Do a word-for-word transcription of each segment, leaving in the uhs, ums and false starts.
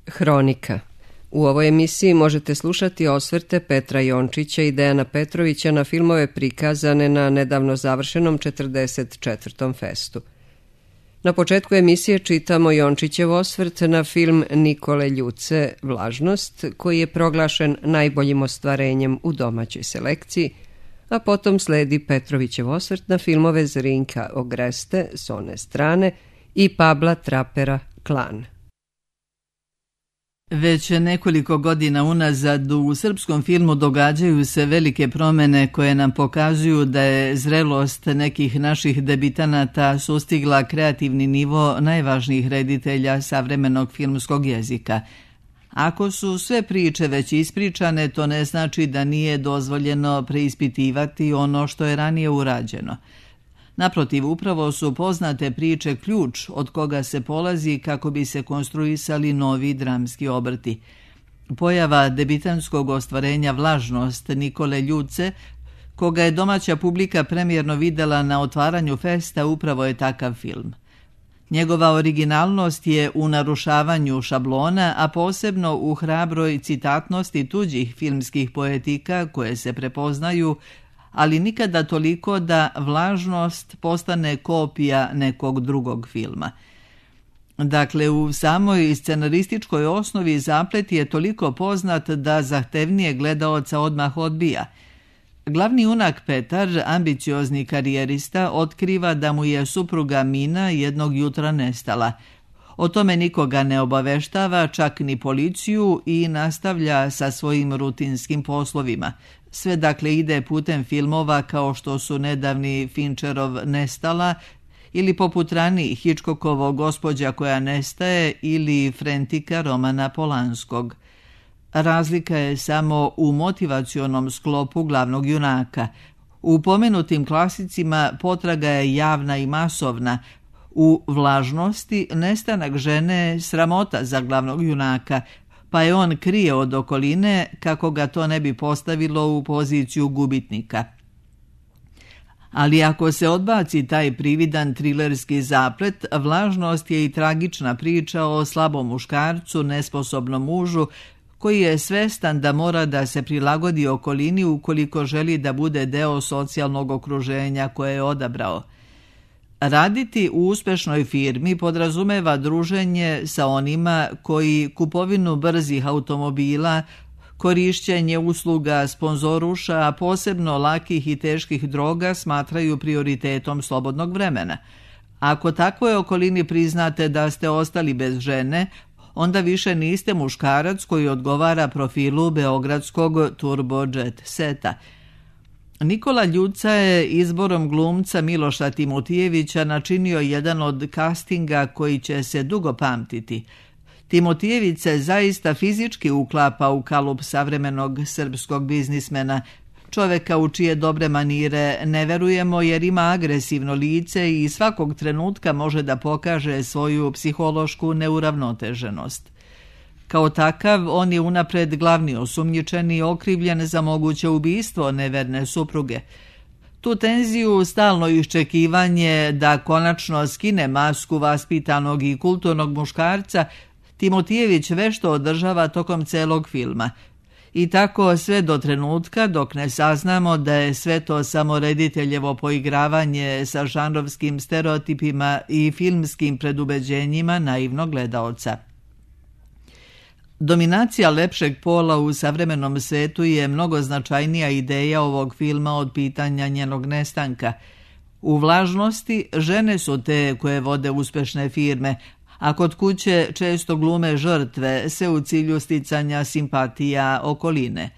Hronika. U ovoj emisiji možete slušati osvrte Petra Jončića i Dejana Petrovića na filmove prikazane na nedavno završenom četrdeset četvrtom festu. Na početku emisije čitamo Jončićev osvrt na film Nikole Ljuce Vlažnost, koji je proglašen najboljim ostvarenjem u domaćoj selekciji, a potom sledi Petrovićev osvrt na filmove Zrinka Ogreste s one strane i Pabla Trapera Klan. Već nekoliko godina unazad u srpskom filmu događaju se velike promjene koje nam pokazuju da je zrelost nekih naših debitanata sustigla kreativni nivo najvažnijih reditelja savremenog filmskog jezika. Ako su sve priče već ispričane, to ne znači da nije dozvoljeno preispitivati ono što je ranije urađeno. Naprotiv, upravo su poznate priče ključ od koga se polazi kako bi se konstruisali novi dramski obrti. Pojava debitanskog ostvarenja Vlažnost Nikole Ljuce, koga je domaća publika premijerno videla na otvaranju festa, upravo je takav film. Njegova originalnost je u narušavanju šablona, a posebno u hrabroj citatnosti tuđih filmskih poetika koje se prepoznaju, ali nikada toliko da Vlažnost postane kopija nekog drugog filma. Dakle, u samoj scenarističkoj osnovi zaplet je toliko poznat da zahtevnije gledaoca odmah odbija. Glavni junak Petar, ambiciozni karijerista, otkriva da mu je supruga Mina jednog jutra nestala. O tome nikoga ne obaveštava, čak ni policiju, i nastavlja sa svojim rutinskim poslovima. Sve dakle ide putem filmova kao što su nedavni Fincherov Nestala ili poput ranijih Hitchcockovog Gospođa koja nestaje ili Frentika Romana Polanskog. Razlika je samo u motivacionom sklopu glavnog junaka. U pomenutim klasicima potraga je javna i masovna. U Vlažnosti nestanak žene je sramota za glavnog junaka, pa je on krije od okoline kako ga to ne bi postavilo u poziciju gubitnika. Ali ako se odbaci taj prividan trilerski zaplet, Vlažnost je i tragična priča o slabom muškarcu, nesposobnom mužu, koji je svestan da mora da se prilagodi okolini ukoliko želi da bude deo socijalnog okruženja koje je odabrao. Raditi u uspešnoj firmi podrazumeva druženje sa onima koji kupovinu brzih automobila, korišćenje usluga sponzoruša, a posebno lakih i teških droga smatraju prioritetom slobodnog vremena. Ako takvoj okolini priznate da ste ostali bez žene, onda više niste muškarac koji odgovara profilu beogradskog turbo jet seta. Nikola Ljuca je izborom glumca Miloša Timotijevića načinio jedan od castinga koji će se dugo pamtiti. Timotijević se zaista fizički uklapa u kalup savremenog srpskog biznismena, čoveka u čije dobre manire ne verujemo jer ima agresivno lice i svakog trenutka može da pokaže svoju psihološku neuravnoteženost. Kao takav, on je unapred glavni osumnjičeni i okrivljen za moguće ubistvo neverne supruge. Tu tenziju, stalno iščekivanje da konačno skine masku vaspitanog i kulturnog muškarca, Timotijević vešto održava tokom celog filma. I tako sve do trenutka dok ne saznamo da je sve to samo rediteljevo poigravanje sa žanrovskim stereotipima i filmskim predubeđenjima naivnog gledaoca. Dominacija lepšeg pola u savremenom svetu je mnogo značajnija ideja ovog filma od pitanja njenog nestanka. U Vlažnosti žene su te koje vode uspešne firme, a kod kuće često glume žrtve, sve u cilju sticanja simpatija okoline.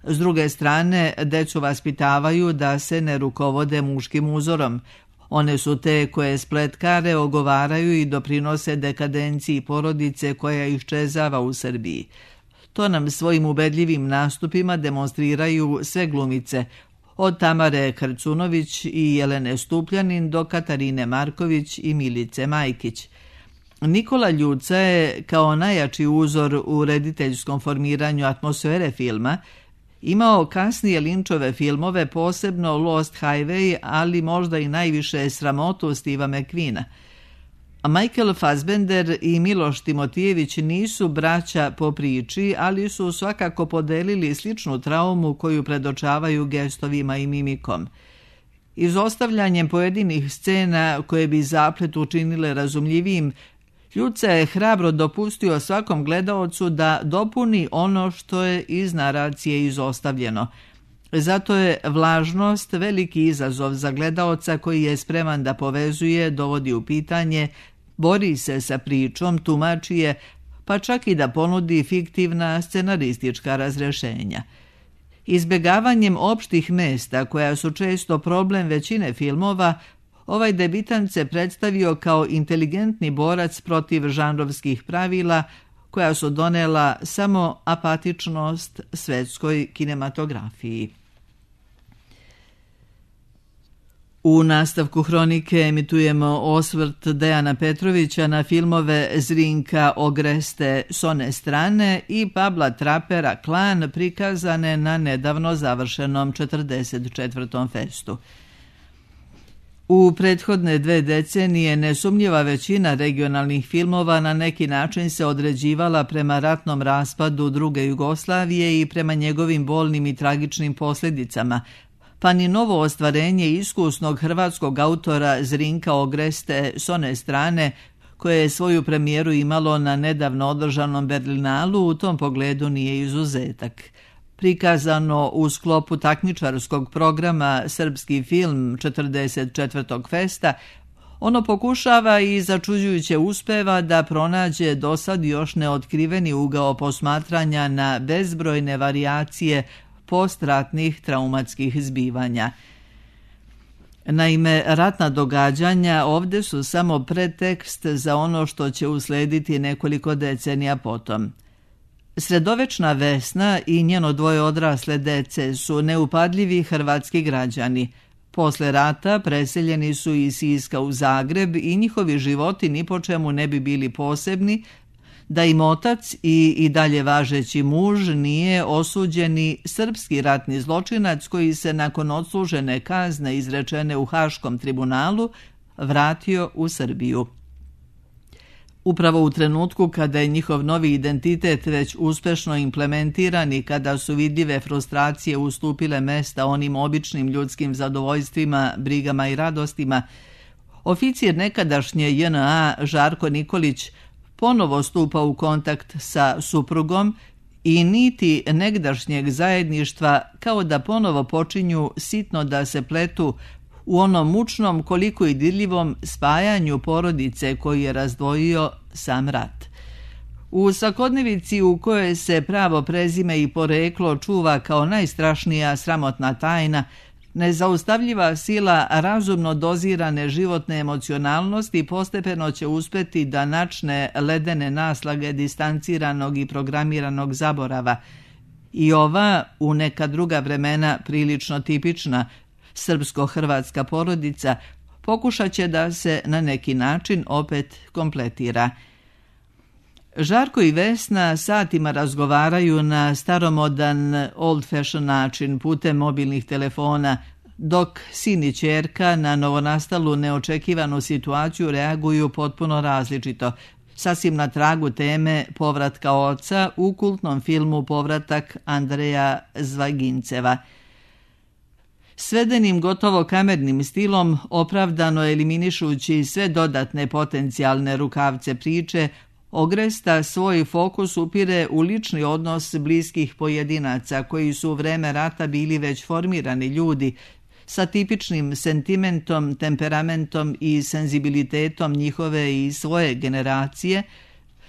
S druge strane, decu vaspitavaju da se ne rukovode muškim uzorom. One su te koje spletkare, ogovaraju i doprinose dekadenciji porodice koja iščezava u Srbiji. To nam svojim ubedljivim nastupima demonstriraju sve glumice, od Tamare Krcunović i Jelene Stupljanin do Katarine Marković i Milice Majkić. Nikola Ljuca je, kao najjači uzor u rediteljskom formiranju atmosfere filma, imao kasnije Linčove filmove, posebno Lost Highway, ali možda i najviše Sramotu Steva McQueena. Michael Fassbender i Miloš Timotijević nisu braća po priči, ali su svakako podelili sličnu traumu koju predočavaju gestovima i mimikom. Izostavljanjem pojedinih scena koje bi zaplet učinile razumljivijim, Ljuca je hrabro dopustio svakom gledaocu da dopuni ono što je iz naracije izostavljeno. Zato je vlažnost veliki izazov za gledaoca koji je spreman da povezuje, dovodi u pitanje, bori se sa pričom, tumači je, pa čak i da ponudi fiktivna scenaristička razrešenja. Izbjegavanjem opštih mesta, koja su često problem većine filmova, ovaj debitant se predstavio kao inteligentni borac protiv žanrovskih pravila, koja su donela samo apatičnost svetskoj kinematografiji. U nastavku hronike emitujemo osvrt Dejana Petrovića na filmove Zrinka Ogreste s one strane i Pabla Trapera Klan, prikazane na nedavno završenom četrdeset četvrtom festu. U prethodne dve decenije nesumnjiva većina regionalnih filmova na neki način se određivala prema ratnom raspadu druge Jugoslavije i prema njegovim bolnim i tragičnim posljedicama, pa ni novo ostvarenje iskusnog hrvatskog autora Zrinka Ogreste s one strane, koje je svoju premijeru imalo na nedavno održanom Berlinalu, u tom pogledu nije izuzetak. Prikazano u sklopu takmičarskog programa Srpski film četrdeset četvrtog festa, ono pokušava i začuđujuće uspeva da pronađe dosad još neotkriveni ugao posmatranja na bezbrojne varijacije postratnih traumatskih zbivanja. Naime, ratna događanja ovdje su samo pretekst za ono što će uslediti nekoliko decenija potom. Sredovečna Vesna i njeno dvoje odrasle dece su neupadljivi hrvatski građani. Posle rata preseljeni su iz Siska u Zagreb i njihovi životi ni po čemu ne bi bili posebni, da im otac i, i dalje važeći muž nije osuđeni srpski ratni zločinac koji se nakon odslužene kazne izrečene u Haškom tribunalu vratio u Srbiju. Upravo u trenutku kada je njihov novi identitet već uspešno implementiran i kada su vidljive frustracije ustupile mesta onim običnim ljudskim zadovoljstvima, brigama i radostima, oficir nekadašnje J N A Žarko Nikolić ponovo stupa u kontakt sa suprugom i niti negdašnjeg zajedništva kao da ponovo počinju sitno da se pletu u onom mučnom koliko i dirljivom spajanju porodice koji je razdvojio sam rat. U svakodnevici u kojoj se pravo prezime i poreklo čuva kao najstrašnija sramotna tajna, nezaustavljiva sila razumno dozirane životne emocionalnosti postepeno će uspeti da načne ledene naslage distanciranog i programiranog zaborava. I ova, u neka druga vremena prilično tipična, srpsko-hrvatska porodica pokušat će da se na neki način opet kompletira. Žarko i Vesna satima razgovaraju na staromodan old-fashion način putem mobilnih telefona, dok sin i ćerka na novonastalu neočekivanu situaciju reaguju potpuno različito, sasvim na tragu teme povratka oca u kultnom filmu Povratak Andreja Zvajginceva. Svedenim gotovo kamernim stilom, opravdano eliminišući sve dodatne potencijalne rukavce priče, Ogresta svoj fokus upire u lični odnos bliskih pojedinaca koji su u vreme rata bili već formirani ljudi sa tipičnim sentimentom, temperamentom i senzibilitetom njihove i svoje generacije,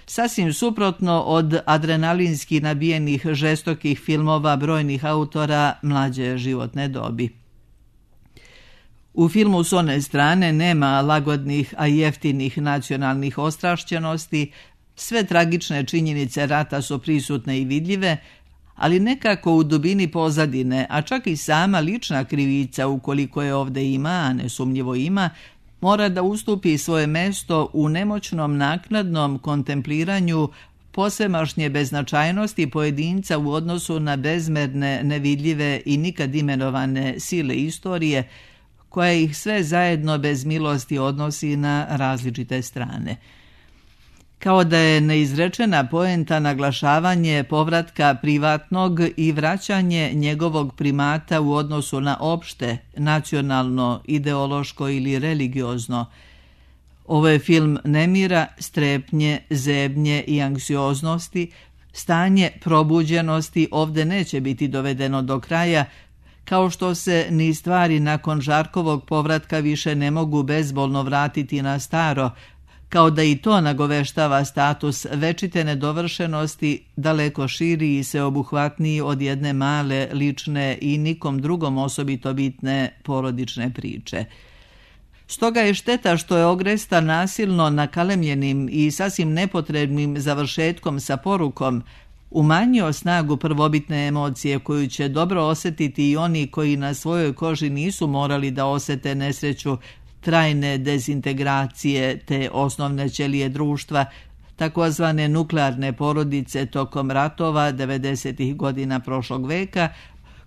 sasvim suprotno od adrenalinski nabijenih žestokih filmova brojnih autora mlađe životne dobi. U filmu s one strane nema lagodnih, a jeftinih nacionalnih ostrašćenosti, sve tragične činjenice rata su prisutne i vidljive, ali nekako u dubini pozadine, a čak i sama lična krivica, ukoliko je ovdje ima, a nesumnjivo ima, mora da ustupi svoje mesto u nemoćnom naknadnom kontempliranju posvemašnje beznačajnosti pojedinca u odnosu na bezmerne, nevidljive i nikad imenovane sile istorije, koja ih sve zajedno bez milosti odnosi na različite strane. Kao da je neizrečena poenta naglašavanje povratka privatnog i vraćanje njegovog primata u odnosu na opšte, nacionalno, ideološko ili religiozno. Ovo je film nemira, strepnje, zebnje i anksioznosti. Stanje probuđenosti ovde neće biti dovedeno do kraja, kao što se ni stvari nakon Žarkovog povratka više ne mogu bezbolno vratiti na staro, kao da i to nagoveštava status večite nedovršenosti, daleko širi i sveobuhvatniji od jedne male, lične i nikom drugom osobito bitne porodične priče. Stoga je šteta što je Ogresta nasilno nakalemljenim i sasvim nepotrebnim završetkom sa porukom umanjio snagu prvobitne emocije koju će dobro osjetiti i oni koji na svojoj koži nisu morali da osete nesreću trajne dezintegracije te osnovne ćelije društva, takozvane nuklearne porodice tokom ratova devedesetih godina prošlog veka,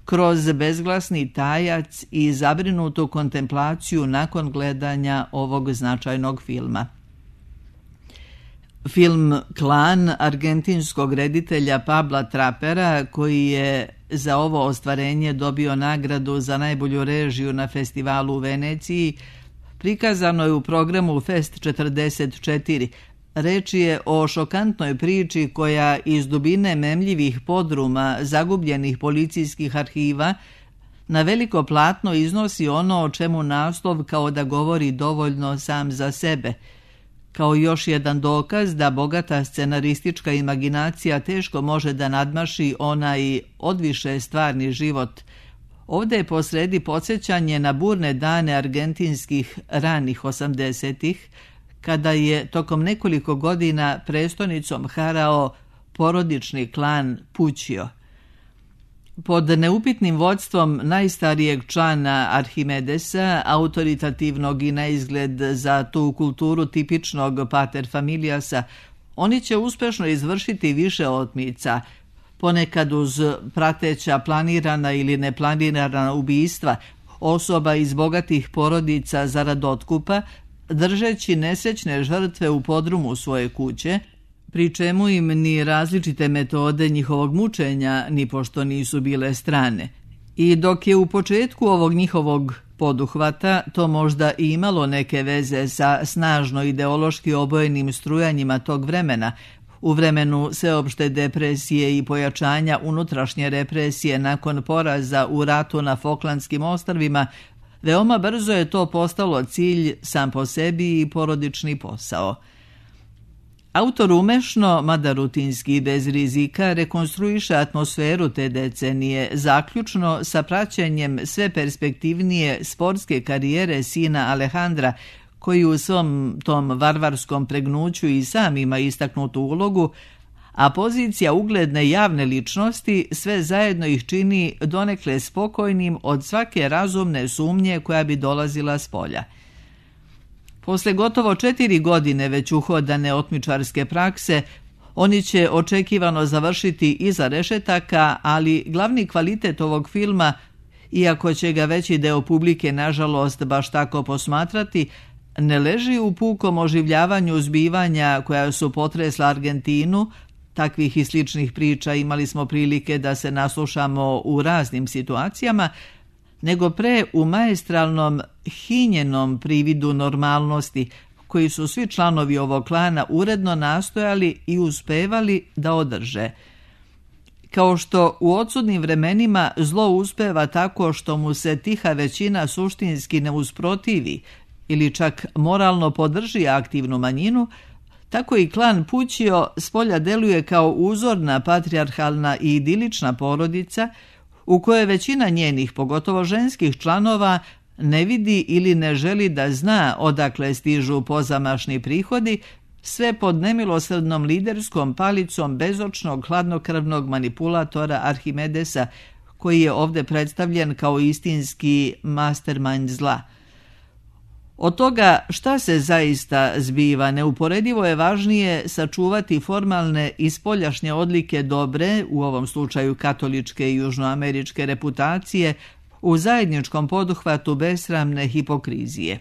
kroz bezglasni tajac i zabrinutu kontemplaciju nakon gledanja ovog značajnog filma. Film Klan argentinskog reditelja Pabla Trapera, koji je za ovo ostvarenje dobio nagradu za najbolju režiju na festivalu u Veneciji, prikazano je u programu Fest četrdeset četiri. Reč je o šokantnoj priči koja iz dubine memljivih podruma zagubljenih policijskih arhiva na veliko platno iznosi ono o čemu naslov kao da govori dovoljno sam za sebe. Kao još jedan dokaz da bogata scenaristička imaginacija teško može da nadmaši onaj odviše stvarni život. Ovdje je posredi podsjećanje na burne dane argentinskih ranih osamdesetih, kada je tokom nekoliko godina prestonicom harao porodični klan Pućio. Pod neupitnim vodstvom najstarijeg člana Arhimedesa, autoritativnog i na izgled za tu kulturu tipičnog pater familiasa, oni će uspešno izvršiti više otmica, ponekad uz prateća planirana ili neplanirana ubistva osoba iz bogatih porodica zarad otkupa, držeći nesrećne žrtve u podrumu svoje kuće, pri čemu im ni različite metode njihovog mučenja ni pošto nisu bile strane. I dok je u početku ovog njihovog poduhvata to možda i imalo neke veze sa snažno ideološki obojenim strujanjima tog vremena, u vremenu sveopšte depresije i pojačanja unutrašnje represije nakon poraza u ratu na Foklandskim ostrvima, veoma brzo je to postalo cilj sam po sebi i porodični posao. Autor umešno, mada rutinski i bez rizika, rekonstruiše atmosferu te decenije, zaključno sa praćenjem sve perspektivnije sportske karijere sina Alejandra, koji u svom tom varvarskom pregnuću i sam ima istaknutu ulogu, a pozicija ugledne javne ličnosti sve zajedno ih čini donekle spokojnim od svake razumne sumnje koja bi dolazila s polja. Posle gotovo četiri godine već uhodane otmičarske prakse, oni će očekivano završiti iza rešetaka, ali glavni kvalitet ovog filma, iako će ga veći deo publike nažalost baš tako posmatrati, ne leži u pukom oživljavanju zbivanja koja su potresla Argentinu. Takvih i sličnih priča imali smo prilike da se naslušamo u raznim situacijama, nego pre u maestralnom, hinjenom prividu normalnosti, koji su svi članovi ovog klana uredno nastojali i uspevali da održe. Kao što u odsudnim vremenima zlo uspeva tako što mu se tiha većina suštinski ne usprotivi ili čak moralno podrži aktivnu manjinu, tako i klan Pućio spolja deluje kao uzorna patrijarhalna i idilična porodica u kojoj većina njenih, pogotovo ženskih članova, ne vidi ili ne želi da zna odakle stižu pozamašni prihodi, sve pod nemilosrdnom liderskom palicom bezočnog hladnokrvnog manipulatora Arhimedesa, koji je ovdje predstavljen kao istinski mastermind zla. Od toga šta se zaista zbiva, neuporedivo je važnije sačuvati formalne i spoljašnje odlike dobre, u ovom slučaju katoličke i južnoameričke reputacije, u zajedničkom poduhvatu besramne hipokrizije.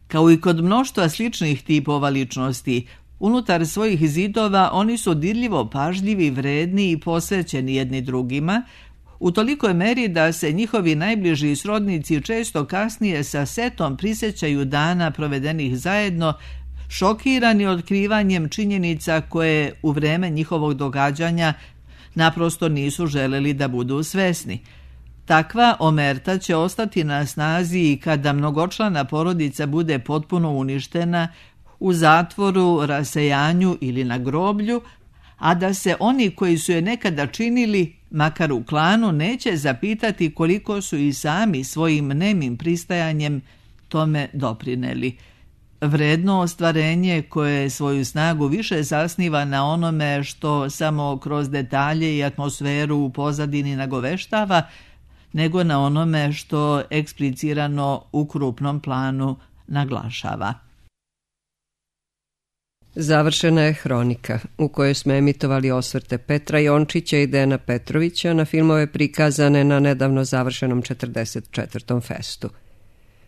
Kao i kod mnoštva sličnih tipova ličnosti, unutar svojih zidova oni su dirljivo pažljivi, vredni i posvećeni jedni drugima, u tolikoj meri da se njihovi najbliži srodnici često kasnije sa setom prisjećaju dana provedenih zajedno, šokirani otkrivanjem činjenica koje u vreme njihovog događanja naprosto nisu želeli da budu svesni. Takva omerta će ostati na snazi i kada mnogočlana porodica bude potpuno uništena, u zatvoru, rasejanju ili na groblju, a da se oni koji su je nekada činili, makar u klanu, neće zapitati koliko su i sami svojim nemim pristajanjem tome doprineli. Vredno ostvarenje koje svoju snagu više zasniva na onome što samo kroz detalje i atmosferu u pozadini nagoveštava, nego na onome što eksplicirano u krupnom planu naglašava. Završena je Hronika, u kojoj smo emitovali osvrte Petra Jončića i Dejana Petrovića na filmove prikazane na nedavno završenom četrdeset četvrtom festu.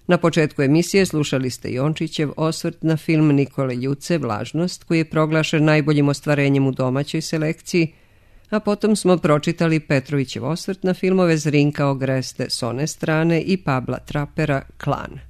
Na početku emisije slušali ste Jončićev osvrt na film Nikole Ljuce Vlažnost, koji je proglašen najboljim ostvarenjem u domaćoj selekciji, a potom smo pročitali Petrovićev osvrt na filmove Zrinka Ogreste s one strane i Pabla Trapera Klan.